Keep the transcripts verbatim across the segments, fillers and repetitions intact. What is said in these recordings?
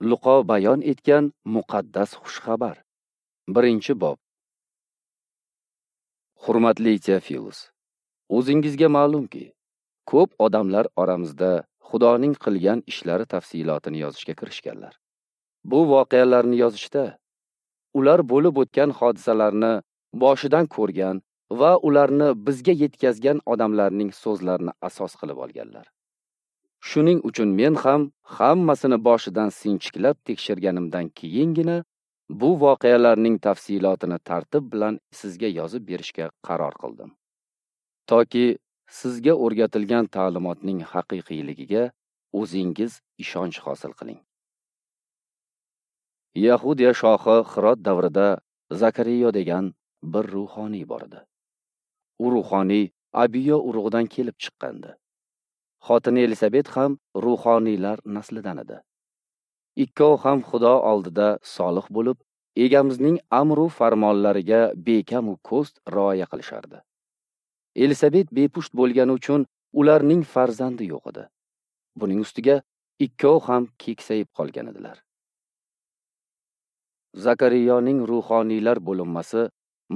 Luqo bayon etgan muqaddas xushxabar. Birinchi bob. Hurmatli Teofilus, o'zingizga ma'lumki, ko'p odamlar oramizda Xudoning qilgan ishlari tafsilotini yozishga kirishganlar. Bu voqealarni yozishda ular bo'lib o'tgan hodisalarni boshidan ko'rgan va ularni bizga yetkazgan odamlarning so'zlarini asos qilib olganlar. Shuning uchun men ham hammasini boshidan sinchiklab tekshirganimdan keyingina bu voqealarning tafsilotini tartib bilan sizga yozib berishga qaror qildim. Toki sizga o'rgatilgan ta'limotning haqiqiyligiga o'zingiz ishonch hosil qiling. Yahudiya shohi Hirod davrida Zakariyo degan bir ruhoniy bor edi. U ruhoniy Abiyo urug'idan kelib chiqqandi. Xotini Elisabet ham ruhoniylar naslidan edi. Ikkovi ham Xudo oldida solih bo'lib, egamizning amru farmonlariga bekam u ko'st rioya qilishardi. Elisabet bepusht bo'lgani uchun ularning farzandi yo'q edi. Buning ustiga ikkovi ham keksayib qolgan edilar. Zakariyoning ruhoniylar bo'linmasi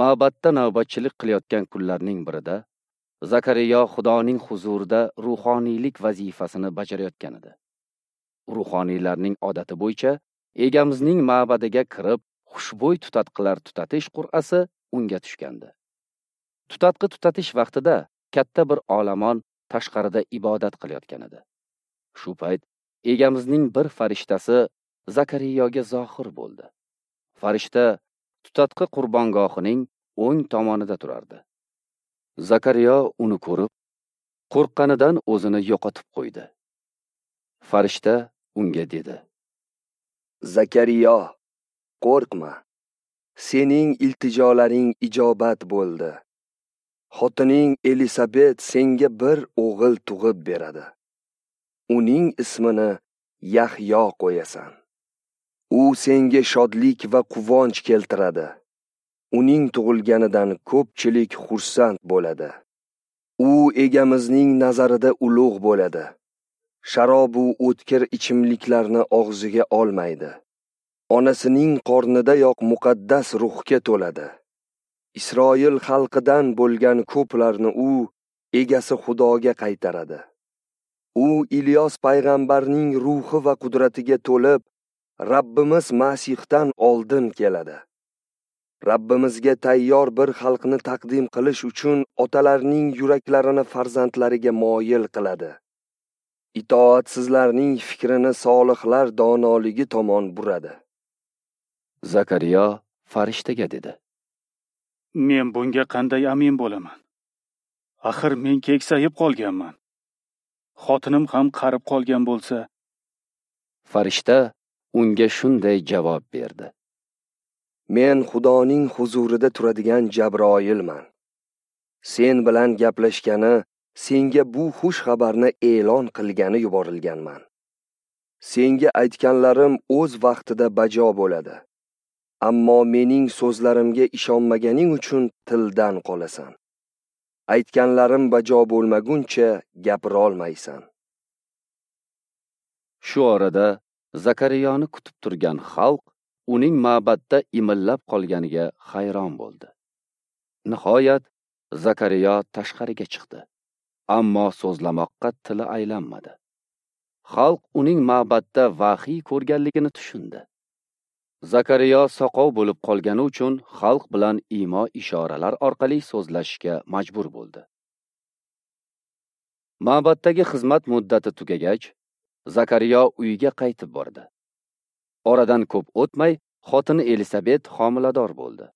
ma'batda navbatchilik qilayotgan kunlarning birida Zakariyo Xudoning huzurida ruhoniylik vazifasini bajarayotgan edi. Ruhoniylarning odati bo'yicha egamizning ma'badiga kirib, xushbo'y tutatqilar tutatish qur'asi unga tushgandi. Tutatqi tutatish vaqtida katta bir olomon tashqarida ibodat qilayotgan edi. Shu payt egamizning bir farishtasi Zakariyoga zohir bo'ldi. Farishta tutatqi qurbongohining o'ng tomonida turardi. Zakariyo uni ko'rib, qo'rqqanidan o'zini yo'qotib qo'ydi. Farishta unga dedi: Zakariyo, qo'rqma. Sening iltijolaring ijobat bo'ldi. Xotining Elisabet senga bir o'g'il tug'ib beradi. Uning ismini Yahyo qo'yasan. U senga shodlik va quvonch keltiradi. Uning tug'ilganidan ko'pchilik xursand bo'ladi. U egamizning nazarida ulug' bo'ladi. Sharob u o'tkir ichimliklarni og'ziga olmaydi. Onasining qornidayoq muqaddas ruhga to'ladi. Isroil xalqidan bo'lgan ko'plarni u egasi Xudoga qaytaradi. U Ilyos payg'ambarning ruhi va qudratiga to'lib, Rabbimiz Masihdan oldin keladi. Rabbimizga tayyor bir xalqni taqdim qilish uchun otalarning yuraklarini farzandlariga moyil qiladi. Itoatsizlarning fikrini solihlar donoligi tomon buradi. Zakariyo farishtaga dedi: Men bunga qanday amin bo'laman? Axir men keksayib qolganman. Xotinim ham qarib qolgan bo'lsa. Farishta unga shunday javob berdi: Men Xudoning huzurida turadigan Jabroilman. Sen bilan gaplashgani, senga bu xush xabarni e'lon qilgani yuborilganman. Senga aytganlarim o'z vaqtida bajo bo'ladi. Ammo mening so'zlarimga ishonmaganing uchun tildan qolasan. Aytganlarim bajo bo'lmaguncha gapira olmaysan. Shu orada Zakariyoni kutib turgan xalq uning ma'batda imillab qolganiga hayron bo'ldi. Nihoyat Zakariyo tashqariga chiqdi, ammo so'zlamoqqa tili aylanmadi. Xalq uning ma'batda vahiy ko'rganligini tushundi. Zakariyo soqov bo'lib qolgani uchun xalq bilan imo ishoralar orqali so'zlashishga majbur bo'ldi. Ma'batdagi xizmat muddati tugagach, Zakariyo uyiga qaytib bordi. Oradan ko'p o'tmay, xotini Elisabet homilador bo'ldi.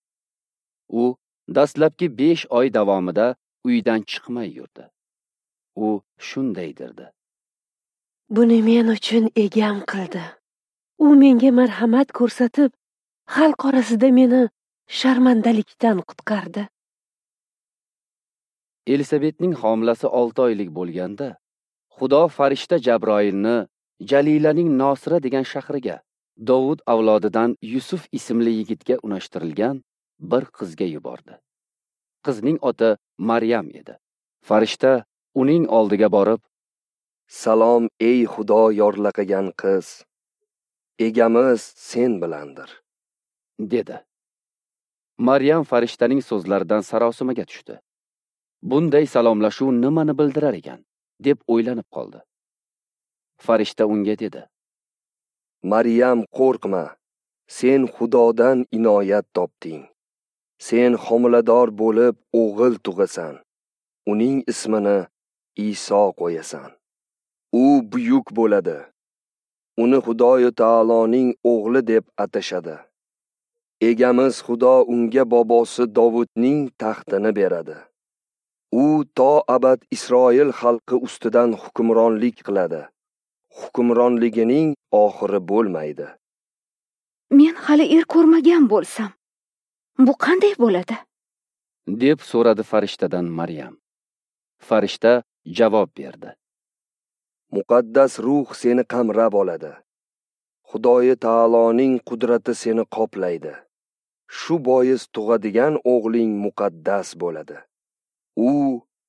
U dastlabki besh oy davomida uydan chiqmay yurdi. U shunday derdi: Buni men uchun egam qildi. U menga marhamat ko'rsatib, xalq orasida meni sharmandalikdan qutqardi. Elisabetning homilasi olti oylik bo'lganda, Xudo farishta Jabroilni Jalilaning Nosira degan shahriga, Dovud avlodidan Yusuf ismli yigitga unashtirilgan bir qizga yubordi. Qizning oti Maryam edi. Farishta uning oldiga borib, Salom ey Xudo yorlaqagan qiz. Egamiz sen bilandir, dedi. Maryam farishtaning so'zlaridan sarosimaga tushdi. Bunday salomlashuv nimani bildirar ekan, deb o'ylanib qoldi. Farishta unga dedi: Maryam, qo'rqma. Sen Xudodan inoyat topding. Sen homilador bo'lib o'g'il tug'asan. Uning ismini Iso qo'yasan. U buyuk bo'ladi. Uni Xudoyu Taoloning o'g'li deb atashadi. Egamiz Xudo unga bobosi Dovudning taxtini beradi. U to abad Isroil xalqi ustidan hukmronlik qiladi. Hukmronligining oxiri bo'lmaydi. Men hali er ko'rmagan bo'lsam, bu qanday bo'ladi? Deb so'radi farishtadan Maryam. Farishta javob berdi: Muqaddas ruh seni qamrab oladi. Xudoyi Taoloning qudrati seni qoplaydi. Shu bois tug'adigan o'g'ling muqaddas bo'ladi. U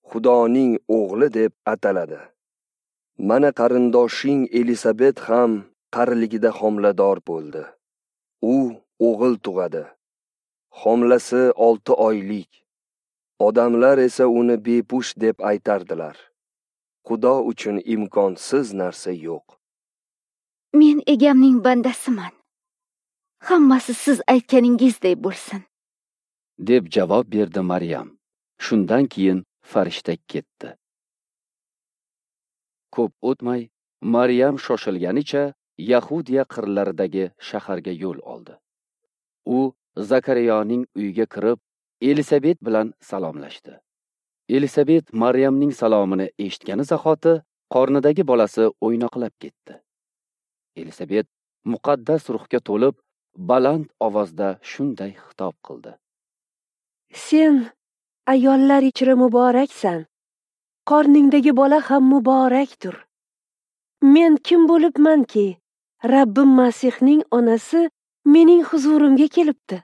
Xudoning o'g'li deb ataladi. Mana qarindoshing Elisabet ham qariligida homilador bo'ldi. U o'g'il tug'adi. Homilasi olti oylik. Odamlar esa uni bepush deb aytardilar. Xudo uchun imkonsiz narsa yo'q. Men egamning bandasiman. Hammasi siz aytganingizdek bo'lsin, deb javob berdi Maryam. Shundan keyin farishta ketdi. Ko'p o'tmay Maryam shoshilganicha Yahudiya qirlaridagi shaharga yo'l oldi. U Zakariyoning uyiga kirib, Elisabet bilan salomlashdi. Elisabet Maryamning salomini eshitgani zahoti qornidagi bolasi o'ynoqlab ketdi. Elisabet muqaddas ruhga to'lib, baland ovozda shunday xitob qildi: Sen ayollar ichra muboraksan. Qorningdagi bola ham muborakdir. Men kim bo'libmanki, Rabbim Masihning onasi mening huzurimga kelibdi.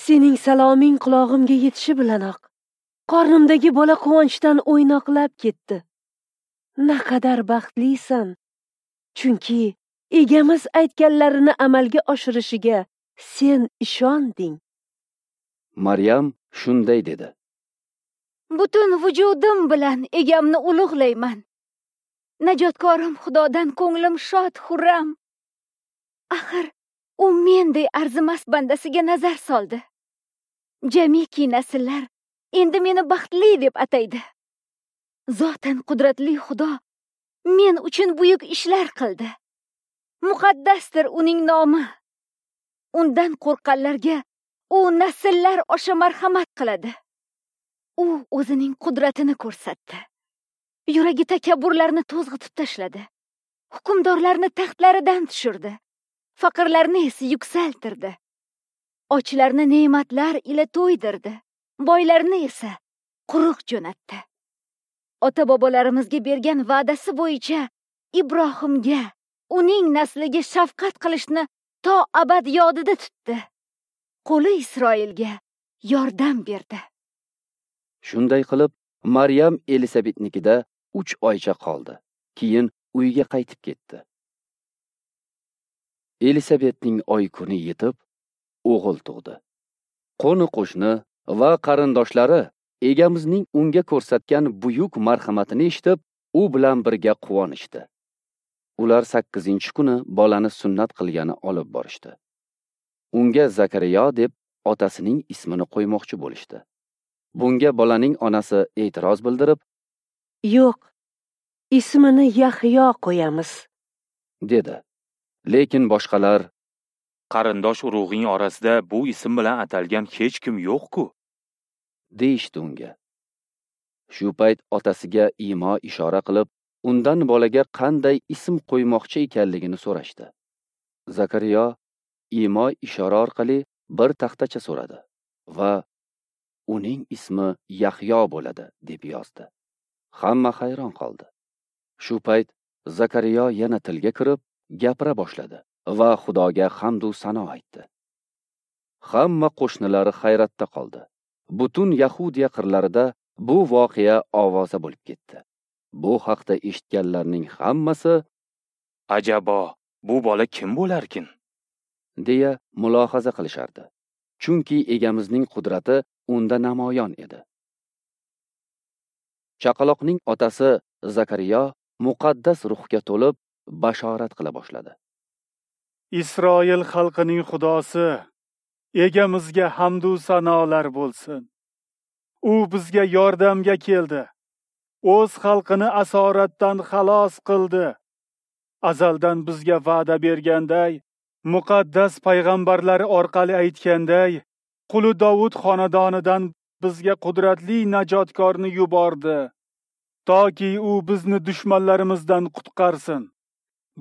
Sening saloming qulog'imga yetishi bilanoq qornimdagi bola quvonchdan o'ynoqlab ketdi. Naqadar baxtlisan, chunki egamiz aytganlarini amalga oshirishiga sen ishonding. Maryam shunday dedi: Butun vujudim bilan egamni ulug'layman. Najotkorim Xudodan ko'nglim shod xurram. Axir u menday arzimas bandasiga nazar soldi. Jamiki nasllar endi meni baxtli deb ataydi. Zotan qudratli Xudo men uchun buyuk ishlar qildi. Muqaddasdir uning nomi. Undan qo'rqqanlarga u nasllar osha marhamat qiladi. U o'zining qudratini ko'rsatdi. Yuragi takabburlarni to'zg'itib tashladi. Hukmdorlarni taxtlaridan tushirdi. Faqirlarni esa yuksaltirdi. Ochlarni ne'matlar ila to'ydirdi. Boylarni esa quruq jo'natdi. Ota-bobolarimizga bergan va'dasi bo'yicha Ibrohimga, uning nasliga shafqat qilishni to abad yodida tutdi. Qo'li Isroilga yordam berdi. Shunday qilib Maryam Elisabetnikida uch oycha qoldi. Keyin uyiga qaytib ketdi. Elisabetning oy kuni yetib, o'g'il tug'di. Qo'ni-qo'shni va qarindoshlari egamizning unga ko'rsatgan buyuk marhamatini eshitib, u bilan birga quvonishdi. Ular sakkizinchi kuni bolani sunnat qilgani olib borishdi. Unga Zakariyo deb otasining ismini qo'ymoqchi bo'lishdi. Bunga bolaning onasi e'tiroz bildirib, "Yo'q, ismini Yahyo qo'yamiz", dedi. Lekin boshqalar, "Qarindosh urug'ing orasida bu ism bilan atalgan hech kim yo'q-ku", deyishdi unga. Shu payt otasiga imo ishora qilib, undan bolaga qanday ism qo'ymoqchi ekanligini so'rashdi. Zakariyo imo ishora orqali bir taxtacha so'radi va uning ismi Yahyo bo'ladi deb yozdi. Hamma hayron qoldi. Shu payt Zakariyo yana tilga kirib, gapira boshladi va Xudoga hamd u sano aytdi. Hamma qo'shnilari hayratda qoldi. Butun Yahudiya qirlarida bu voqea ovoza bo'lib ketdi. Bu haqda eshitganlarning hammasi, "Ajabo, Bu bola kim bo'larkin? Deya mulohaza qilishardi. Chunki Egamizning qudrati unda namoyon edi. Chaqaloqning otasi Zakariya muqaddas ruhga to'lib bashorat qila boshladi. Isroil xalqining Xudosi Egamizga hamd u sanolar bo'lsin. U bizga yordamga keldi. O'z xalqini asoratdan xalos qildi. Azaldan bizga va'da berganday, muqaddas payg'ambarlari orqali aytganday, quli Dovud xonadonidan bizga qudratli najotkorni yubordi, toki u bizni dushmanlarimizdan qutqarsin,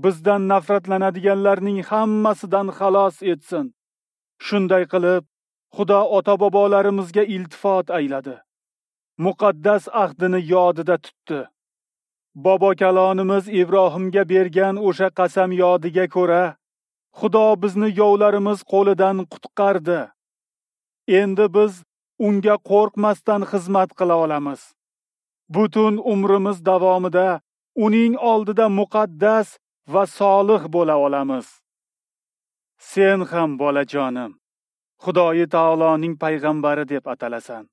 bizdan nafratlanadiganlarning hammasidan xalos etsin. Shunday qilib, Xudo ota-bobolarimizga iltifot ayladi. Muqaddas ahdini yodida tutdi. Bobokalonimiz Ibrohimga bergan o'sha qasam yodiga ko'ra, Xudo bizni yovlarimiz qo'lidan qutqardi. Endi biz unga qo'rqmasdan xizmat qila olamiz. Butun umrimiz davomida uning oldida muqaddas va solih bo'la olamiz. Sen ham bolajonim, Xudoyi taoloning payg'ambari deb atalasan.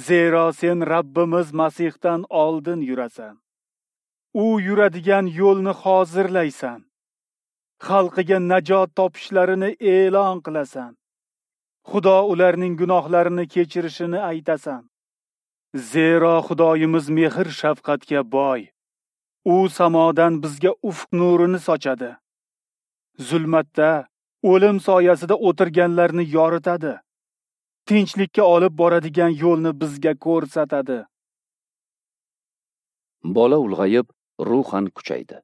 Zero sen Rabbimiz Masihdan oldin yurasan. U yuradigan yo'lni hozirlaysan. Xalqiga najot topishlarini e'lon qilasan. Xudo ularning gunohlarini kechirishini aytasan. Zero Xudoyimiz mehr shafqatga boy. U samodan bizga ufq nurini sochadi. Zulmatda, o'lim soyasida o'tirganlarni yoritadi. Tinchlikka olib boradigan yo'lni bizga ko'rsatadi. Bola ulg'ayib, ruhan kuchaydi.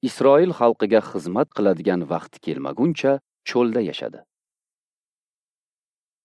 Isroil xalqiga xizmat qiladigan vaqti kelmaguncha cho'lda yashadi.